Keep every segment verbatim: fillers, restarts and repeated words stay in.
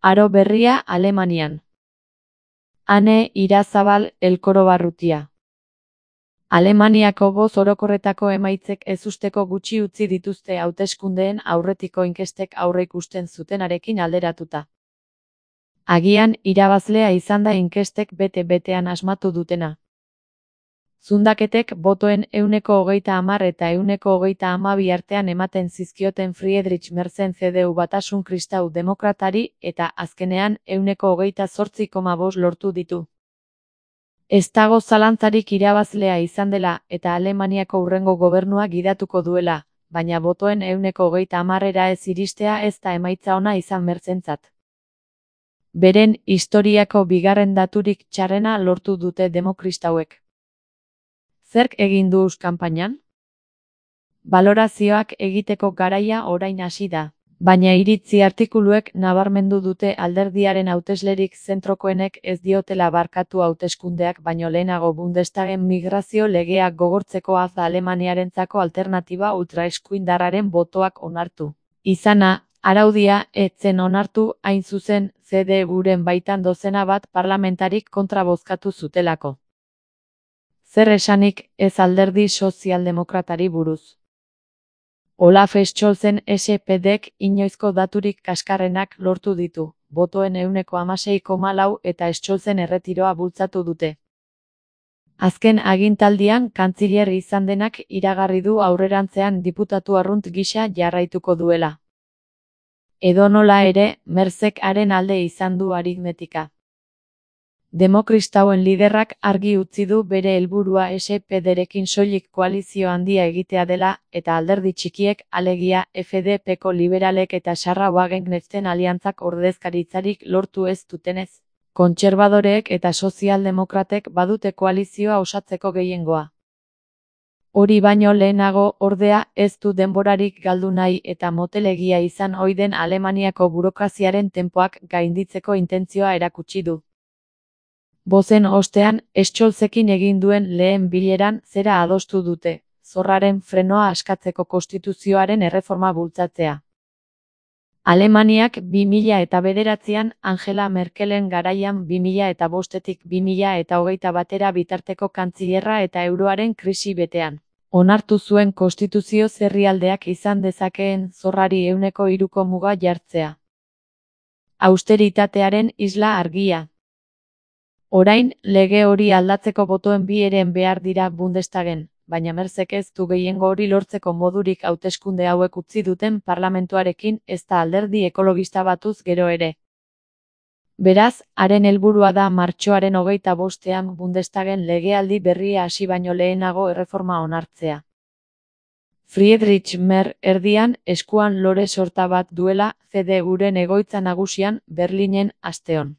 Aro berria Alemanian. Ane Irazabal Elkorobarrutia. Alemaniako boz orokorretako emaitzek ezusteko gutxi utzi dituzte hauteskundeen aurretiko inkestek aurreikusten zutenarekin alderatuta. Agian irabazlea izan da inkestek bete-betean asmatu dutena. Zundaketek botoen ehuneko hogeita hamar eta ehuneko hogeita hamabi artean ematen zizkioten Friedrich Merzen C D U Batasun Kristau Demokratari eta azkenean ehuneko hogeita zortzi koma bost lortu ditu. Ez dago zalantzarik irabazlea izan dela eta Alemaniako hurrengo gobernua gidatuko duela, baina botoen ehuneko hogeita hamarera ez iristea ez da emaitza ona izan Merzentzat. Beren historiako bigarren daturik txarrena lortu dute demokristauek. Zerk egin du kanpainan? Balorazioak egiteko garaia orain hasi da, baina iritzi artikuluek nabarmendu dute alderdiaren hauteslerik zentrokoenek ez diotela barkatu hauteskundeak baino lehenago Bundestagen migrazio legeak gogortzeko az da Alemaniarentzako alternatiba ultraeskuindarraren botoak onartu. Izana, araudia ez zen onartu hain zuzen C D U-ren baitan dozena bat parlamentarik kontra bozkatu zutelako. Zer esanik ez alderdi sozialdemokratari buruz. Olaf Scholzen S P D-k inoizko daturik kaskarrenak lortu ditu, botoen ehuneko hamasei koma lau eta Scholzen erretiroa bultzatu dute. Azken agintaldian kantziler izan denak iragarri du aurrerantzean diputatu arrunt gisa jarraituko duela. Edonola ere, Merzek haren alde izan du aritmetika. Demokristauen liderrak argi utzi du bere helburua S P D-rekin soilik koalizio handia egitea dela eta alderdi txikiek alegia F D P-ko liberalek eta Sarra Wagenknechten aliantzak ordezkaritzarik lortu ez dutenez. Kontserbadoreek eta sozialdemokratek badute koalizioa osatzeko gehiengoa. Hori baino lehenago ordea ez du denborarik galdu nahi eta motelegia izan ohi den Alemaniako burokraziaren tenpoak gainditzeko intentzioa erakutsi du. Bozen ostean, Scholzekin egin duen lehen bileran zera adostu dute, zorraren frenoa askatzeko konstituzioaren erreforma bultzatzea. Alemaniak bi mila eta bederatzian Angela Merkelen garaian bi mila eta bostetik bi mila eta hogeita batera bitarteko kantzilerra eta euroaren krisi betean. Onartu zuen konstituzio herrialdeak izan dezakeen zorrari ehuneko hiruko muga jartzea. Austeritatearen isla argia. Orain, lege hori aldatzeko botoen bi heren behar dira Bundestagen, baina Merzek ez du gehiengo hori lortzeko modurik hauteskunde hauek utzi duten parlamentuarekin ez da alderdi ekologista batuz gero ere. Beraz, haren helburua da martxoaren hogeita bostean Bundestagen legealdi berria hasi baino lehenago erreforma onartzea. Friedrich Merz erdian eskuan lore sorta bat duela C D U-ren egoitza nagusian Berlinen asteon.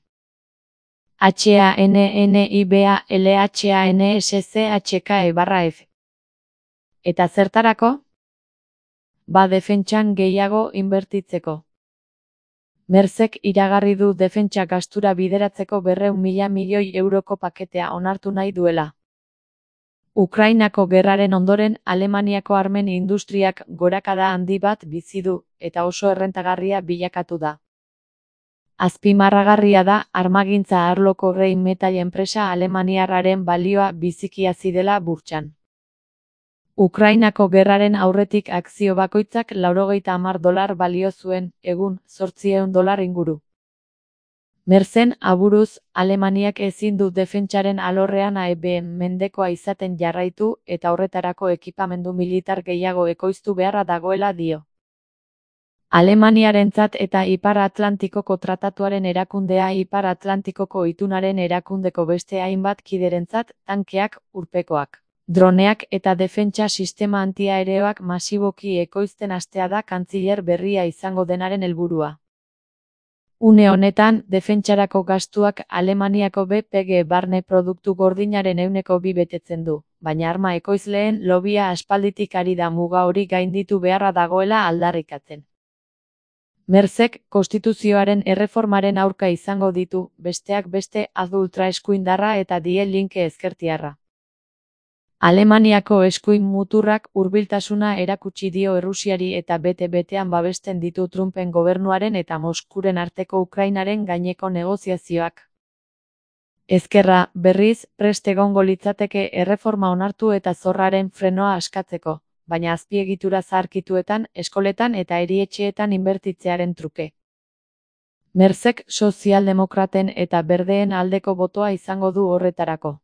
H A N N I B A L H A N S C H K E barra F. Eta zertarako? Ba defentsan gehiago inbertitzeko. Merzek iragarri du defentsa gastura bideratzeko berrehun mila milioi euroko paketea onartu nahi duela. Ukrainako gerraren ondoren Alemaniako armen industriak gorakada handi bat bizi du eta oso errentagarria bilakatu da. Azpimarragarria da armagintza arloko Rheinmetall enpresa alemaniarraren balioa biziki hazi dela burtsan. Ukrainako gerraren aurretik akzio bakoitzak laurogeita hamar dolar balio zuen, egun zortziehun dolar inguru. Merzen aburuz, Alemaniak ezin du defentsaren alorrean A E B mendekoa izaten jarraitu eta horretarako ekipamendu militar gehiago ekoiztu beharra dagoela dio. Alemaniarentzat eta Ipar Atlantikoko Tratatuaren erakundea Ipar Atlantikoko itunaren erakundeko beste hainbat kiderentzat tankeak, urpekoak, droneak eta defentsa sistema antiaereoak masiboki ekoizten hastea da kantziler berria izango denaren helburua. Une honetan, defentsarako gastuak Alemaniako B P G barne produktu gordinaren ehuneko bi betetzen du, baina arma ekoizleen lobia aspalditik ari da muga hori gainditu beharra dagoela aldarrikatzen. Merzek konstituzioaren erreformaren aurka izango ditu, besteak beste az ultraeskuindarra eta Die Linke ezkertiarra. Alemaniako eskuin muturrak hurbiltasuna erakutsi dio Errusiari eta bete-betean babesten ditu Trumpen gobernuaren eta Moskuren arteko Ukrainaren gaineko negoziazioak. Ezkerra, berriz, prest egongo litzateke erreforma onartu eta zorraren frenoa askatzeko, baina azpiegitura zaharkituetan, eskoletan eta erietxeetan inbertitzearen truke. Merzek sozialdemokraten eta berdeen aldeko botoa izango du horretarako.